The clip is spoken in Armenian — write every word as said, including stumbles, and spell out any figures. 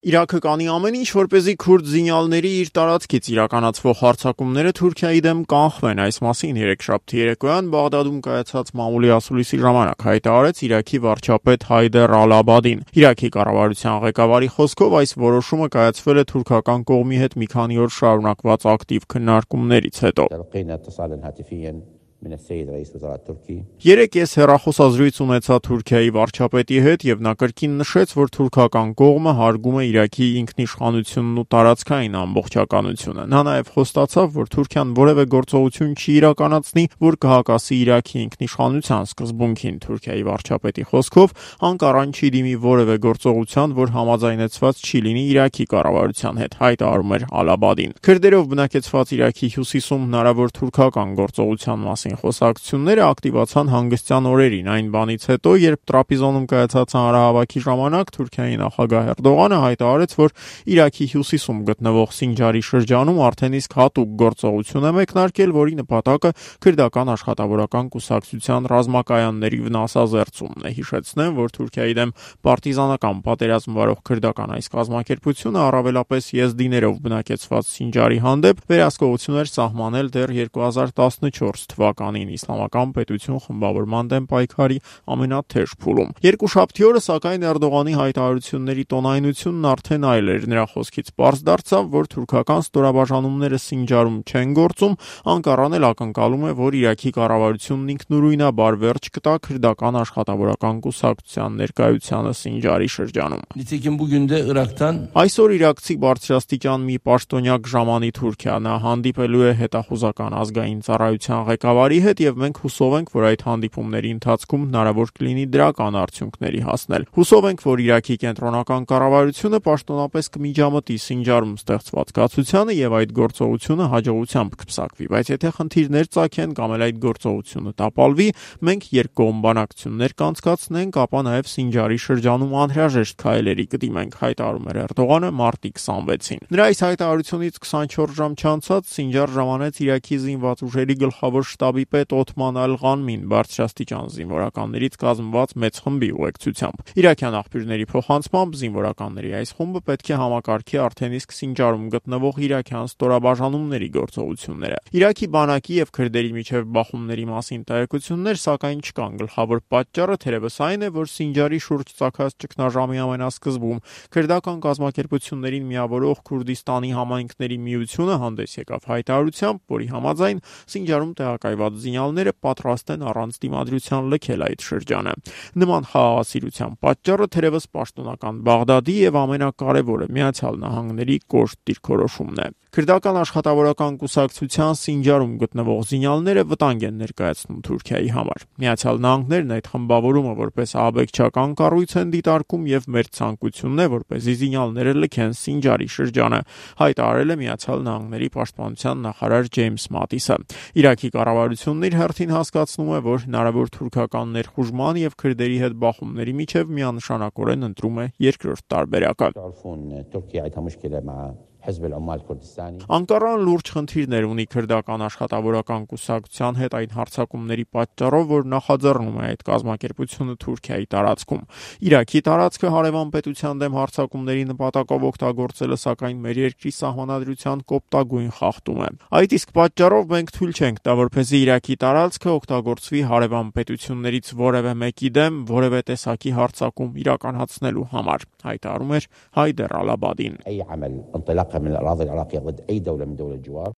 Իրաքը կանի ամեն ինչ, որպեսզի քուրդ զինյալների իր տարածքից իրականացվող հարձակումները Թուրքիայի դեմ կանխվեն։ Այս մասին երեքշաբթի երեկոյան Բաղդադում կայացած մամուլի ասուլիսի ժամանակ հայտարարեց Իրաքի վարչապետ Հայդեր Ալ-Աբադին։ Իրաքի կառավարության ղեկավարի խոսքով այս որոշումը կայացվել է թուրքական կողմի հետ մի քանի օր շարունակված ակտիվ քննարկումներից հետո։ Երեկ ես հեռախոսազրույց ունեցա Թուրքիայի վարչապետի հետ եւ նա կրկին նշեց, որ թուրքական կողմը հարգում է Իրաքի ինքնիշխանությունն ու տարածքային ամբողջականությունը։ Նա նաեւ խոստացավ, որ Թուրքիան որևէ գործողություն չի իրականացնի, որ կհակասի Իրաքի ինքնիշխանության սկզբունքին։ Թուրքիայի վարչապետի խոսքով Անկարան չի դիմի որևէ գործողության, որ համաձայնեցված չի լինի Իրաքի կառավարության հետ, հայտարարում էր Ալ-Աբադին։ Քրդերով բնակեցված Իրաքի հյուսիսում հնարավոր թուրքական գործողության մասին խոսակցությունները ակտիվացան հանգստյան օրերին, այն բանից հետո, երբ Տրապիզոնում կայացած հանրահավաքի ժամանակ Թուրքիայի նախագահ Էրդողանը հայտարարեց, որ Իրաքի հյուսիսում գտնվող Սինջարի շրջանում արդեն իսկ հատուկ գործողություն է մեկնարկել, որի նպատակը քրդական աշխատավորական կուսակցության ռազմակայանների վնասազերծումն է։ Հիշեցնեմ, որ Թուրքիայի դեմ պարտիզանական պատերազմ վարող քրդական այս կազմակերպությունը առավելապես եզդիներով բնակեցված Սինջարի հանդեպ վերահսկողություն էր սահմանել դեռ երկու հազար տասնչորս թվականին իսլամական պետություն խմբավորման դեմ պայքարի ամենաթեժ փուլում։ Երկուշաբթի օրը, սակայն, Էրդողանի հայտարարությունների տոնայնությունն արդեն այլ էր։ Նրա խոսքից պարզ դարձավ, որ թուրքական ստորաբաժանումները Սինջարում չեն գործում, Անկարան էլ ակնկալում է, որ Իրաքի կառավարությունն ինքնուրույնաբար վերջ կտա քրդական աշխատավորական կուսակցության ներկայությանը Սինջարի շրջանում։ Այսօր իրաքցի բարձրաստիճան մի պաշտոնյակ ժամանի Թուրքիա, նա հանդիպելու է հետախուզական ազգային ծառայության ղեկավարի հետ եւ մենք հուսով ենք, որ այդ հանդիպումների ընթացքում հնարավոր կլինի դրական արդյունքների հասնել։ Հուսով ենք, որ Իրաքի կենտրոնական կառավարությունը պաշտոնապես կմիջամտի Սինջարում ստեղծված կացությանը եւ այդ գործողությունը հաջողությամբ կփսակվի, բայց եթե խնդիրներ ծագեն կամ էլ այդ գործողությունը տապալվի, մենք երկկողմ բանակցություններ կանցկացնենք, ապա նաեւ Սինջարի շրջանում անհրաժեշտ քայլերի կդիմենք, հայտարարում էր Էրդողանը մարտի քսանվեցին։ Նրա այս հայտարարությունից քսանչորս ժամ չանցած Սինջար ժամանեց Իրաքի զինված ուժերի գլխավոր շտաբի պետ Օթման Ալ-Ղանմին բարձրաստիճան զինվորականներից կազմված մեծ խմբի ուղեկցությամբ։ Իրաքյան աղբյուրների փոխանցմամբ զինվորականների այս խումբը պետք է համակարգի արդեն իսկ Սինջարում գտնվող իրաքյան ստորաբաժանումների գործողությունները։ Իրաքի բանակի եւ քրդերի միջև բախումների մասին տեղեկություններ սակայն չկան։ Գլխավոր պատճառը թերևս այն է, որ Սինջարի շուրջ ծագած ճգնաժամի ամենասկզբում քրդական կազմակերպություններին միավորող Քուրդիստանի համայնքների միությունը հանդես եկավ հայտարարությամբ, որի համաձայն Սինջարում տեղակայված զինյալները պատրաստ են առանց դիմադրության լքել այդ շրջանը։ Նման խաղաղասիրության պատճառը թերևս պաշտոնական Բաղդադի եւ ամենակարևորը Միացյալ Նահանգների կոշտ դիրքորոշումն է։ Քրդական աշխատավորական կուսակցության Սինջարում գտնվող զինյալները վտանգ են ներկայացնում Թուրքիայի համար։ Միացյալ Նահանգներն այդ խմբավորումը որպես ահաբեկչական կառույց են դիտարկում եւ մեր ցանկությունն է, որպեսզի զինյալները լքեն Սինջարի շրջանը, հայտարարել է Միացյալ Նահանգների պաշտպանության նախարար Ջեյմս Մատիսը։ Իրաքի կառավարությունն իր հերթին հասկացնում է, որ հնարավոր թուրքական ներխուժման եւ քրդերի հետ բախումների միջև միանշանակորեն ընտրում է երկրորդ տարբերակը։ Անկարան լուրջ խնդիրներ ունի քրդական աշխատավորական կուսակցության հետ այն հարձակումների պատճառով, որ նախաձեռնում է այդ կազմակերպությունը Թուրքիայի տարածքում։ Իրաքի տարածքը հարևան պետության դեմ հարձակումների նպատակով օգտագործելը սակայն մեր երկրի սահմանադրության կոպտագույն խախտում է։ Այդ իսկ պատճառով մենք թույլ չենք տա, որպեսզի Իրաքի տարածքը օգտագործվի հարևան պետություններից որևէ մեկի դեմ որևէ տեսակի հարձակում իրականացնելու համար, հայտարարում էր Հայդեր Ալ-Աբադին։